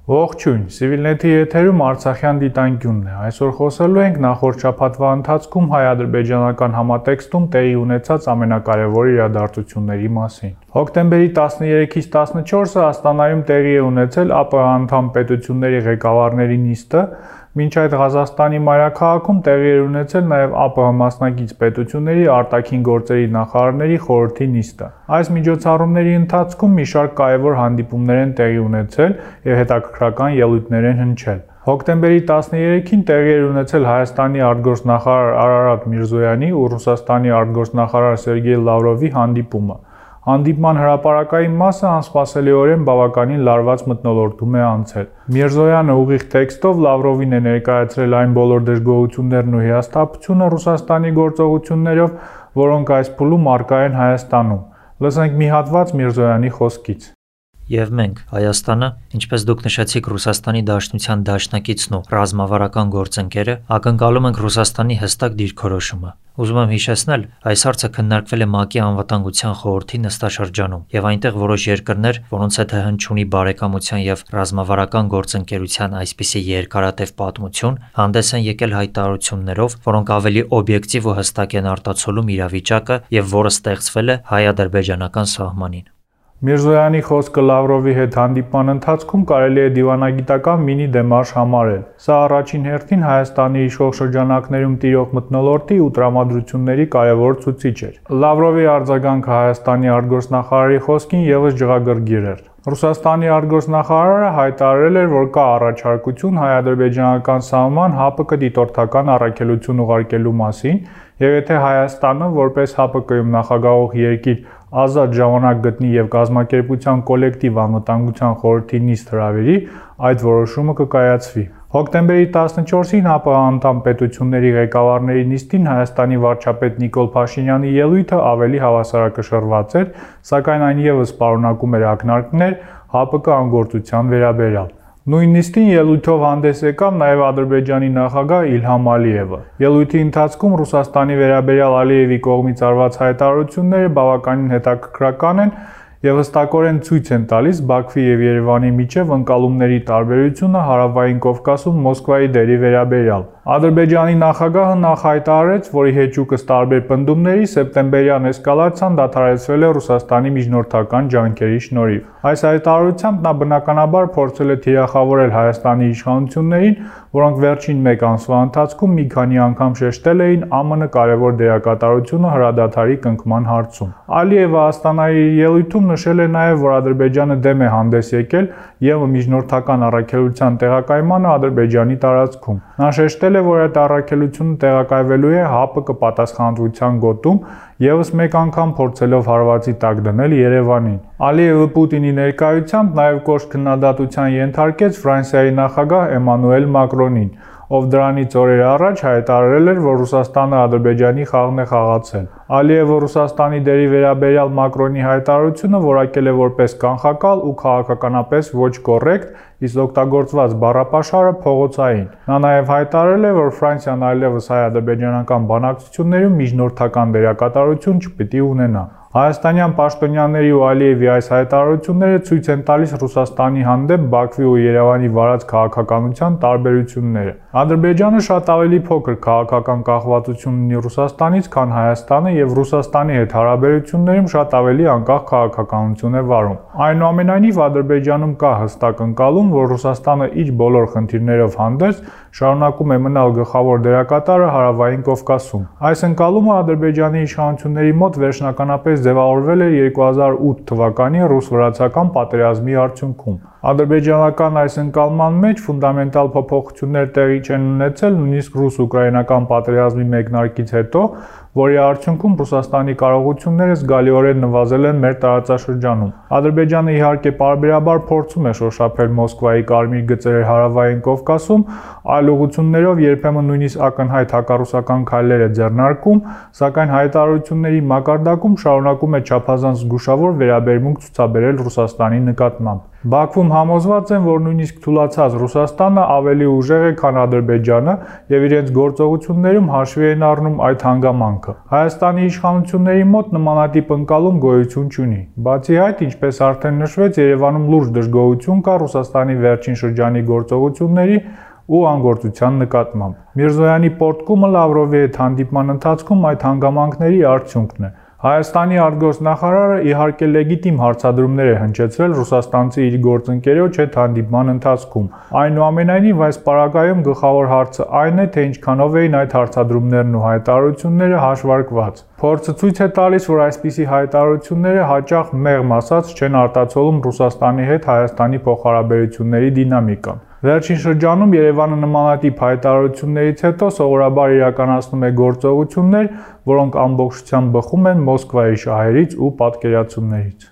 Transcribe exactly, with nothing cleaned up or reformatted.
Ողջույն, Civilnet-ի եթերում Արցախյան դիտանկյունն է։ Այսօր խոսելու ենք նախորդ շաբաթվա ընթացքում հայ-ադրբեջանական համատեքստում տեղի ունեցած ամենակարևոր իրադարձությունների մասին։ Հոկտեմբերի տասներեքից տասնչորսը Աստանայում տեղի է ունեցել ԱՊՀ անդամ պետությունների ղեկավարների նիստը, մինչ այդ Ղազախստանի մայրաքաղաքում տեղի էր ունեցել նաև ԱՊՀ մասնակից պետությունների արտաքին գործերի նախարարների խորհրդի նիստը։ Այս միջոցառումների ընթացքում մի շարք կարևոր հանդիպումներ են տեղի ունեցել եւ հետաքրքրական ելույթներ են հնչել։ Հոկտեմբերի տասներեքին տեղի էր ունեցել Հայաստանի արտգործնախարար Արարատ Միրզոյանի ու Ռուսաստանի արտգործնախարար Սերգեյ Լավրովի հանդիպումը։ Հանդիպման հրապարակային մասը անսպասելիորեն բավականին լարված մթնոլորտում է անցել։ Միրզոյանը ուղիղ տեքստով Լավրովին է ներկայացրել այն բոլոր դժգոհություններն ու հիասթափությունը Ռուսաստանի գործողություններով, որոնք այս փուլում առկա են Հայաստանում։ Լսենք մի հատված Միրզոյանի խոսքից։ Եվ մենք, Հայաստանը, ինչպես դուք նշեցիք Ռուսաստանի Դաշնության դաշնակիցն ու ռազմավարական գործընկերը, ակնկալում ենք Ռուսաստանի հստակ դիրքորոշումը։ Ուզում եմ հիշեցնել, այս հարցը քննարկվել է ՄԱԿ-ի անվտանգության խորհրդի նստաշրջանում, եւ այնտեղ որոշ երկրներ, որոնց հետ հնչյունի բարեկամության եւ ռազմավարական գործընկերության այսպիսի երկարատև պատմություն, հանդես են եկել հայտարարություններով, որոնք ավելի օբյեկտիվ ու հստակ են արտացոլում իրավիճակը եւ որը ստեղծվել է հայ-ադրբեջանական սահմանին։ Միրզոյանի խոսքը Լավրովի հետ հանդիպման ընթացքում կարելի է դիվանագիտական մինի դեմարշ համարել։ Սա առաջին հերթին Հայաստանի իշխող շրջանակներում տիրող մթնոլորտի ու տրամադրությունների կարևոր ցուցիչ էր։ Լավրովի արձագանքը Հայաստանի արտգործնախարարի խոսքին ևս ջղագրգիռ էր։ Ռուսաստանի արտգործնախարարը հայտարարել էր, որ կա առաջարկություն հայ-ադրբեջանական սահման ՀԱՊԿ դիտորդական առաքելություն ուղարկելու մասին, եւ եթե Հայաստանը, որպես ՀԱՊԿ-ում նախագահող երկիր, ազատ ժամանակ գտնի եւ կազմակերպության կոլեկտիվ անվտանգության խորհրդի նիստ հրավիրի, այդ որոշումը կկայացվի։ Հոկտեմբերի տասնչորսին ԱՊՀ անդամ պետությունների ղեկավարների նիստին Հայաստանի վարչապետ Նիկոլ Փաշինյանի ելույթը ավելի հավասարակշռված էր, սակայն այն ևս պարունակում էր ակնարկներ ՀԱՊԿ անգործության վերաբերյալ։ Նույն նիստին ելույթով հանդես եկավ նաև Ադրբեջանի նախագահ Իլհամ Ալիևը։ Ելույթի ընթացքում Ռուսաստանի վերաբերյալ Ալիևի կողմից արված հայտարարությունները բավականին հետաքրքրական են եւ հստակորեն ցույց են տալիս Բաքվի եւ Երևանի միջև ընկալումների տարբերությունը Հարավային Կովկասում Մոսկվայի դերի վերաբերյալ։ Ադրբեջանի նախագահը նախ հայտարարեց, որ ի հեճուկս տարբեր պնդումների սեպտեմբերյան էսկալացիան դադարեցվել է Ռուսաստանի միջնորդական ջանքերի շնորհիվ։ Այս հայտարարությամբ նա բնականաբար փորձել է թիրախավորել Հայաստանի իշխանություններին, որոնք վերջին մեկ ամսվա ընթացքում մի քանի անգամ շեշտել էին ԱՄՆ կարևոր դերակատարությունը հրադադարի կնքման հարցում։ Ալիևը Աստանայի ելույթում նշել է նաև, որ Ադրբեջանը դեմ է հանդես եկել եւ միջնորդական առաքելության տեղակայմանը Ադրբեջանի տարածքում։ Նա շեշտել է, որ այդ առաքելությունը տեղակայվելու է ՀԱՊԿ պատասխանատվության գոտում, եւս մեկ անգամ փորձելով հարվածի տակ դնել Երևանին։ Ալիևը Պուտինի ներկայությամբ նաև կոշտ քննադատության ենթարկեց Ֆրանսիայի նախագահ Էմանուել Մակրոնին, ով դրանից օրեր առաջ հայտարարել էր, որ Ռուսաստանը Ադրբեջանի խաղն է խաղացել։ Ալիևը Ռուսաստանի դերի վերաբերյալ Մակրոնի հայտարարությունը որակել է որպես կանխակալ ու քաղաքականապես ոչ կոռեկտ, իսկ օգտագործված բառապաշարը փողոցային։ Նա նաև հայտարարել է, որ Ֆրանսիան այլևս հայ-ադրբեջանական բանակցություններում միջնորդական դերակատարություն չպիտի ունենա։ Հայաստանյան պաշտոնյաների ու Ալիևի այս հայտարարությունները ցույց են տալիս Ռուսաստանի հանդեպ Բաքվի ու Երևանի վարած քաղաքականության տարբերությունները։ Ադրբեջանը շատ ավելի փոքր քաղաքական կախվածություն ունի Ռուսաստանից, քան Հայաստանը, եւ Ռուսաստանի հետ հարաբերություններում շատ ավելի անկախ քաղաքականություն է վարում։ Այնուամենայնիվ Ադրբեջանում կա հստակ ընկալում, որ Ռուսաստանը իր բոլոր խնդիրներով հանդերձ շարունակում է մնալ գլխավոր դերակատարը Հարավային Կովկասում։ Այս ընկալումը Ադրբեջանի իշխանությունների մոտ վերջնականապես ձևավորվել էր երկու հազար ութ թվականի ռուս-վրացական պատերազմի արդյունքում։ Ադրբեջանական այս ընկալման մեջ ֆունդամենտալ փոփոխություններ տեղի չեն ունեցել նույնիսկ ռուս-ուկրաինական պատերազմի մեկնարկից հետո, որի արդյունքում Ռուսաստանի կարողությունները զգալիորեն նվազել են մեր տարածաշրջանում։ Ադրբեջանը իհարկե պարբերաբար փորձում է շոշափել Մոսկվայի կարմիր գծերը Հարավային Կովկասում, այլ ուղղություններով երբեմն նույնիսկ ակնհայտ հակառուսական քայլեր է ձեռնարկում, սակայն հայտարարությունների մակարդակում շարունակում է չափազանց զգուշավոր վերաբերմունք ցուցաբերել Ռուսաստանի նկատմամբ։ Բաքվում համոզված են, որ նույնիսկ թուլացած Ռուսաստանը ավելի ուժեղ է, քան Ադրբեջանը եւ իրենց գործողություններում հաշվի են առնում այդ հանգամանքը։ Հայաստանի իշխանությունների մոտ նմանատիպ ընկալում գոյություն չունի։ Բացի այդ, ինչպես արդեն նշվեց, Երևանում լուրջ դժգոհություն կա Ռուսաստանի վերջին շրջանի գործողությունների ու անգործության նկատմամբ։ Միրզոյանի պոռթկումը Լավրովի հետ հանդիպման ընթացքում այդ հանգամանքների արդյունքն է։ Հայաստանի արտգործնախարարը իհարկե լեգիտիմ հարցադրումներ է հնչեցրել ռուսաստանցի իր գործընկերոջ հետ հանդիպման ընթացքում։ Այնուամենայնիվ, այս պարագայում գլխավոր հարցը այն է, թե ինչքանով էին այդ հարցադրումներն ու հայտարարությունները հաշվարկված։ Փորձը ցույց է տալիս, որ այսպիսի հայտարարությունները հաճախ մեղմ ասած չեն արտացոլում Ռուսաստանի հետ Հայաստանի փոխհարաբերությունների դինամիկան։ Վերջին շրջանում Երևանը նմանատիպ հայտարարություններից հետո սովորաբար իրականացնում է գործողություններ, որոնք ամբողջությամբ բխում են Մոսկվայի շահերից ու պատկերացումներից։